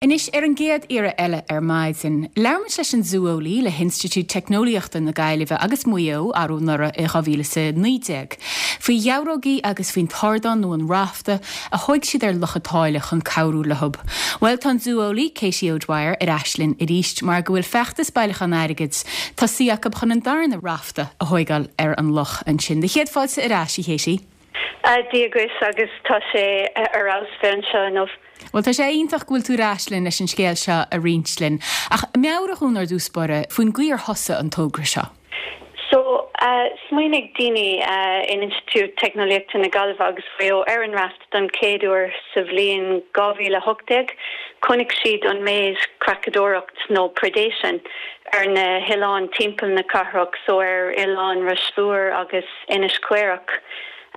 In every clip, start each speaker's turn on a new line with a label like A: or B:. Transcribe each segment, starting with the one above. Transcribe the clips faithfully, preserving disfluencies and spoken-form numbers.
A: Anois ar an gcéad iarraidh eile ar maidin, labhair muid leis an zúeolaí le hInstitiúid Teicneolaíochta na Gaillimhe agus Maigh Eo arú anuraidh i dhá mhíle is a naoi déag, faoi gheabhrógaí agus faoin t-ardán nó an rafta a thóig siad ar Loch an tSáile chun cabhrú leo. Bhuel tá an zúeolaí Katie O'Dwyer ar ais linn arís mar go bhfuil feachtas bailiúchán airgid tosaithe acu chun an darna rafta a thógáil ar an loch ansin. Céad fáilte ar ais a Katie.
B: Dia dhuit agus tá sé ar fheabhas bheith anseo inniu.
A: Well tá sé iontach go bhfuil tú ar ais linn leis an scéal seo a roinnt linn. Ach meabhraigh dúinn ar dtús báire faoin gcaoi ar thosaigh an togra seo.
B: So uh, smaoinigh daoine uh, in Institiúid Teicneolaíochta na Gaillimhe agus Mhaigh Eo ar an raft don chéad uair sa bhliain dhá mhíle hocht déag, chonaic siad an méid creachadóireacht nó predation ar na hoileáin timpeall na cathrach so ar oileán Ros Mhór agus Inis Caorach.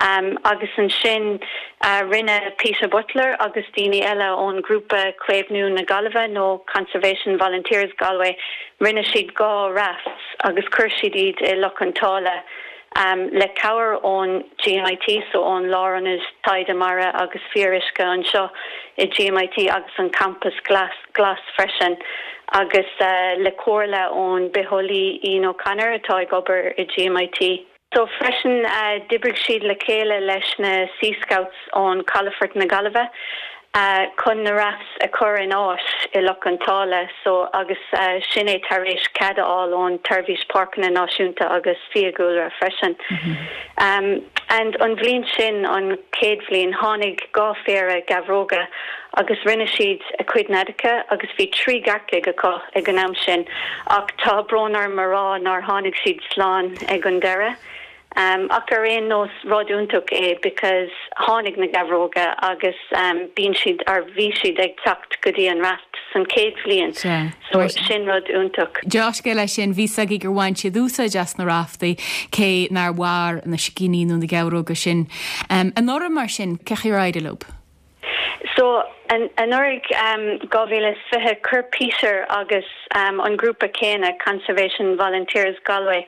B: Um, agus ansin uh, rinne Peter Butler agus daoine eile ón grúpa Caomhnú na Gaillimhe nó Conservation Volunteers Galway rinne siad dhá rafts agus chuir siad iad i Loch an tSáile um, le cabhair ón GMIT so ón Lárionad Taighde Mara agus Fíoruisce anseo i GMIT agus an campus glas, glas freisin agus uh, le comhairle ón bitheolaí Ian O'Connor atá ag obair i GMIT. So freisin uh, d'oibrigh siad le chéile leis na Sea Scouts ón Calafort na Gaillimhe uh, chun na rafts a chur in áit i Loch an tSáile so agus uh, sin é tar éis cead a fháil ón tSeirbhís Páirceanna Náisiúnta agus Fiadhúlra freisin. Mm -hmm. um, and an bhliain sin an chéad bhliain tháinig dhá phéire geabhróga agus rinne siad a cuid neadacha agus bhí trí gearrcaigh acu ag an am sin ach tá brón orm a rá nár tháinig siad slán ag an deireadh. Um, ach ar aon nós rud iontach é because tháinig na geabhróga agus um, bíonn siad ar bhí siad ag teacht go dtí an raft san chéad bhliain so sin rud iontach.
A: Deá-scéal é sin bhí ag gur bhain siad úsáid as na raftaí cé nár mhair na sicíní nó na geabhróga sin. Um, anuraidh mar sin cén chaoi ar éirigh leo?
B: So an anuraidh um, dhá mhíle fiche chuir Peter agus um, an grúpa céanna Conservation Volunteers Galway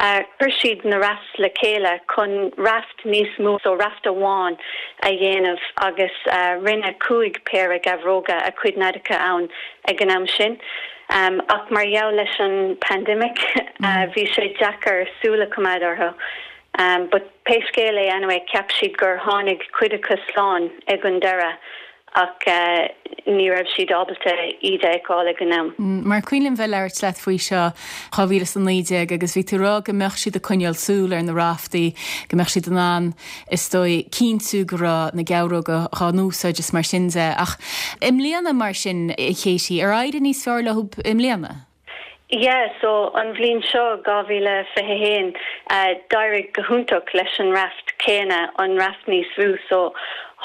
B: uh, chuir siad na rafts le chéile chun raft níos mó so raft amháin a dhéanamh agus uh, rinne cúig péire geabhróga a cuid neadacha ann ag an am sin. Um, ach mar gheall leis an pandemic uh, bhí sé deacair súil a choimeád orthu. Um, but pé scéal é anyway cheap siad gur tháinig cuid acu slán ag an deireadh ach uh, ní raibh siad ábalta iad a fháil ag an am.
A: Mm, mar cuimhin liom bheith labhairt leat faoi seo dhá mhíle is a naoi déag agus bhí tú rá go mbeadh siad ag coinneáil súil ar na raftaí, go mbeadh siad in ann is dóigh cinntiú go raibh na geabhróga á n-úsáid is mar sin de ach i mbliana mar sin a Katie ar éirigh níos fearr leo i mbliana.
B: Yeah, so an bhliain seo dhá mhíle fiche haon uh, d'éirigh go hiontach leis an raft céanna an raft níos mó so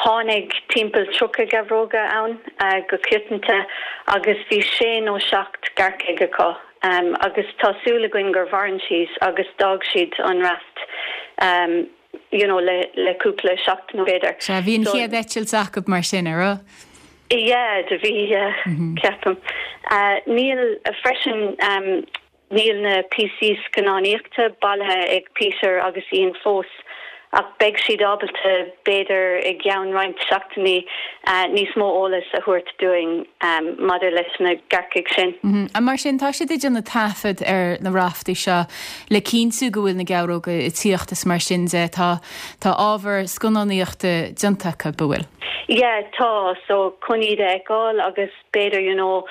B: tháinig timpeall tríocha geabhróga ann uh, go coitianta agus bhí sé nó seacht gearrcaigh acu. Um, agus tá súil againn gur mhair siad agus d'fhág siad an raft um, you know, le, le cúpla seachtain b'fhéidir.
A: Se bhí an chéad eitilt acu mar sin ar
B: Yeah, do bhí uh, mm -hmm. ceapaim. Uh, níl uh, freisin um, níl na píosaí scannánaíochta bailithe ag Peter agus Ian fós ach beidh siad ábalta b'fhéidir i gceann roinnt seachtainí uh, níos mó eolas a thabhairt dúinn um, maidir leis na gearrcaigh sin.
A: Mm -hmm. A mar sin tá siad ag déanamh taifead ar na raftaí seo le cinntiú go bhfuil na geabhróga ag tíocht is mar sin de tá tá ábhar scannánaíochta déanta acu bhfuil.
B: Yeah, tá so chun iad a fheiceáil agus b'fhéidir you know,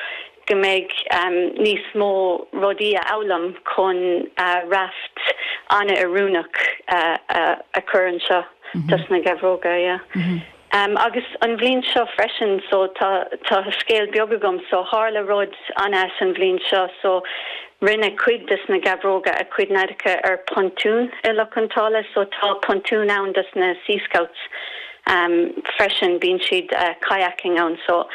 B: go mbeidh um, níos mó rudaí a fhoghlaim chun uh, raft an-oiriúnach uh, uh, a chur anseo mm -hmm. dos na geabhróga yeah. Mm -hmm. Um, agus an bhliain seo freisin so tá tá scéal beag agam so tharla rud an-ait an bhliain seo so rinne cuid des na geabhróga a cuid neadacha ar pontún i Loch an tSáile so tá pontún ann dos na Sea Scouts um, freisin bíonn siad uh, kayaking ann so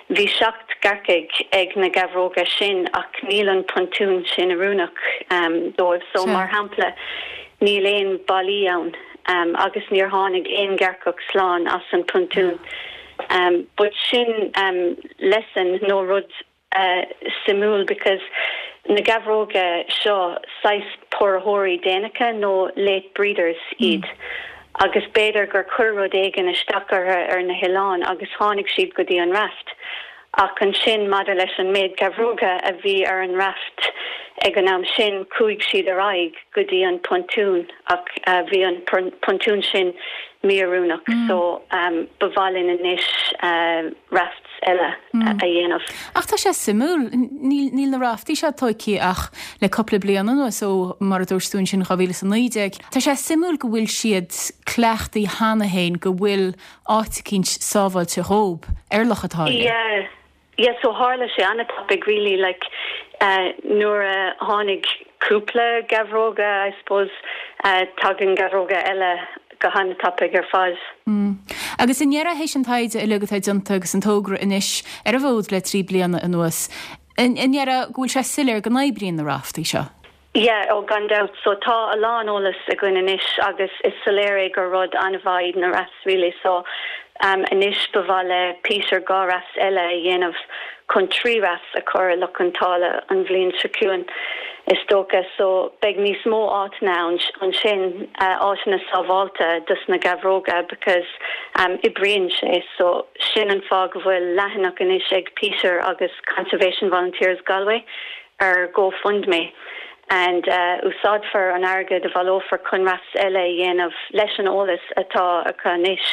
B: bhí seacht gearrcaigh ag na geabhróga sin ach níl an pontún sin oiriúnach um, dóibh so mar shampla níl aon ballaí ann um, agus níor tháinig aon ghearrcach slán as an pontún. Um, but sin um, lesson nó rud uh, suimiúil because na geabhróga seo saghas póraitheoirí déanacha nó late breeders iad. Mm. agus b'fhéidir gur chuir rud éigin isteach orthu ar na hoileáin agus tháinig siad go dtí an raft. Ach ansin maidir leis an méid geabhróga a bhí ar an raft ag an am sin chuaigh siad ar aghaidh go dtí an pontún ach uh, bhí an pontún sin mí-oiriúnach mm. so um, ba mhaith linn anois uh, rafts eile mm. a dhéanamh.
A: Ach tá sé suimiúil níl na raftaí seo tógtha ach le cúpla bliain anuas ó mar a dúirt tú ansin dhá mhíle is a naoi déag. Tá sé suimiúil go bhfuil siad cleachtaithe cheana féin go bhfuil áit eicínt sábháilte dhóibh ar Loch an tSáile.
B: Yeah. Yeah, so tharla sé an-tapaidh really like uh, nuair a tháinig cúpla geabhróga I suppose uh, tagann geabhróga eile go han-tapaidh ar fad.
A: Mm. Agus i ndeireadh théis an taighde uilig atá déanta agus an togra anois ar an bhfód le trí bliana anuas. I ndeireadh go bhfuil sé soiléir go n-oibríonn na raftaí seo.
B: Yeah, ó gan dabht so tá a lán eolas againn anois agus is soiléir é gur rud an-mhaith na rafts really so um, anois ba mhaith le Peter dhá raft eile a dhéanamh chun trí rafts a chur i Loch an tSáile an bhliain seo chugainn is dócha so beidh níos mó áiteanna ansin uh, áiteanna sábháilte dos na geabhróga because um, oibríonn sé so sin an fáth go bhfuil leathanach anois ag Peter agus Conservation Volunteers Galway ar GoFundMe and uh, úsáidfear an airgead a bhaileofar chun rafts eile a dhéanamh leis an eolas atá acu anois.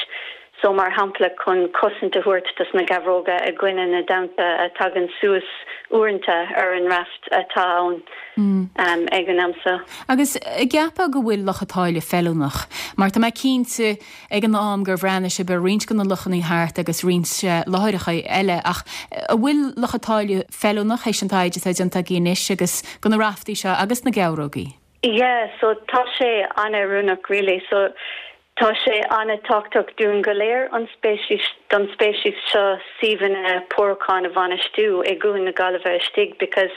B: So mar shampla chun cosaint a thabhairt dos na geabhróga i gcoinne na dtonnta a tagann suas uaireanta ar an raft atá ann mm. um, ag an am seo.
A: Agus ceapaim go bhfuil Loch an tSáile feiliúnach, mar tá mé cinnte ag an am gur bhreathnaigh sibh ar roinnt de na lochanna thart agus roinnt láithreacha eile ach an bhfuil Loch an tSáile feiliúnach théis an taighde atá déanta agaibh anois agus go na raftaí seo agus na geabhrógaí.
B: Yeah, so tá sé an-oiriúnach really so Tá sé an-tábhachtach dúinn go léir an speiceas don speiceas seo suíomhanna pórúcháin a bhainistiú i gCuan na Gaillimhe istigh because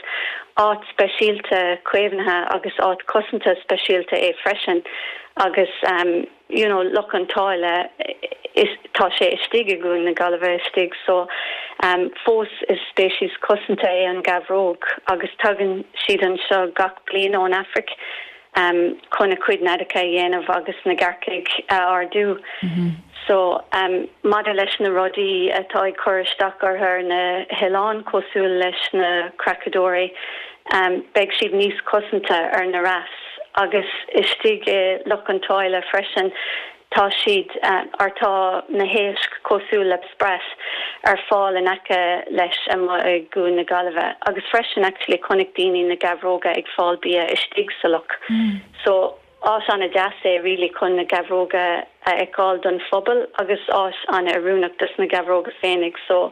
B: áit speisialta caomhnaithe agus áit cosanta speisialta é freisin agus um, you know, Loch an tSáile is tá sé istigh i gCuan na Gaillimhe istigh so um, fós is speiceas cosanta é an gheabhróg agus tagann siad anseo gach bliain ón Afraic um, chun a cuid neadacha a dhéanamh agus na gearrcaigh a ardú. Mm -hmm. So um, maidir leis na rudaí atá ag cur isteach ar na hoileáin cosúil leis na creachadóirí, um, beidh siad níos cosanta ar na rafts agus istigh i Loch an tSáile freisin tá siad uh, ar tá na héisc cosúil le sprat ar fáil in aice leis i gCuan na Gaillimhe agus freisin actually chonaic daoine na geabhróga ag fáil bia istigh sa loch. Mm. So áit an-deas é really chun na geabhróga a fheiceáil don phobal agus áit an-oiriúnach dos na geabhróga féinig so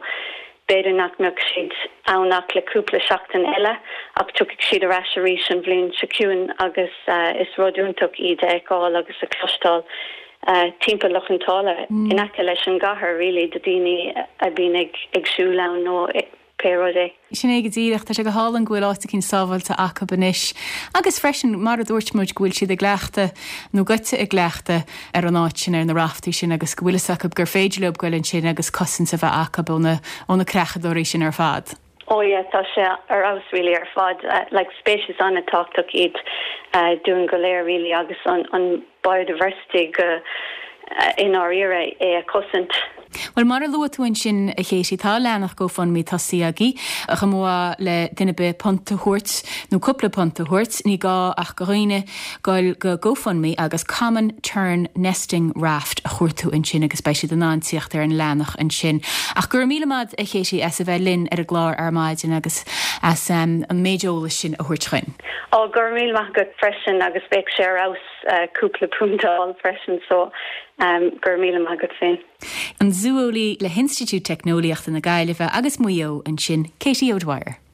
B: b'fhéidir nach mbeadh siad ann ach le cúpla seachtain eile ach tiocfaidh siad ar ais arís an bhliain seo chugainn agus uh, is rud iontach iad a fheiceáil agus a chloisteáil uh, timpeall Loch an tSáile mm. in aice leis an gcathair really do daoine a bhíonn ag ag siúl ann nó pé rud é.
A: Sin é go díreach tá sé go hálainn go bhfuil áit eicínt sábháilte acu anois. Agus freisin mar a dúirt muid go bhfuil siad i gcleachtadh nó goite i gcleachtadh ar an áit sin ar na raftaí sin agus go bhfuil fhios acu gur féidir leo goil ansin agus cosaint a bheith acu ó na creachadóirí sin ar fad.
B: Oh yeah, tá sé ar fheabhas really ar fad uh, like speiceas an-tábhachtach iad uh, dúinn go léir really agus an, an biodiversity go uh, in áirithe é a chosaint.
A: Well mar a luaigh tú ansin a Katie tá leathanach GoFundMe tosaithe agaibh a chomh le duine ar bith punt a thabhairt nó cúpla punt a thabhairt ní gá ach go dhaoine goil go GoFundMe agus Common Tern Nesting Raft a chuartú ansin agus beidh siad in ann teacht ar an leathanach ansin. Ach gur míle maith a Katie as a bheith linn ar an gclár ar maidin agus as um, an méid eolais sin a thabhairt dúinn.
B: Ó gur míle maith agat freisin agus beidh sé ar fheabhas uh, cúpla punt a fháil freisin so um, gur míle maith agat féin.
A: An zúolaí le hInstitiúid Teicneolaíochta na Gaillimhe agus Maigh Eo ansin Katie O'Dwyer.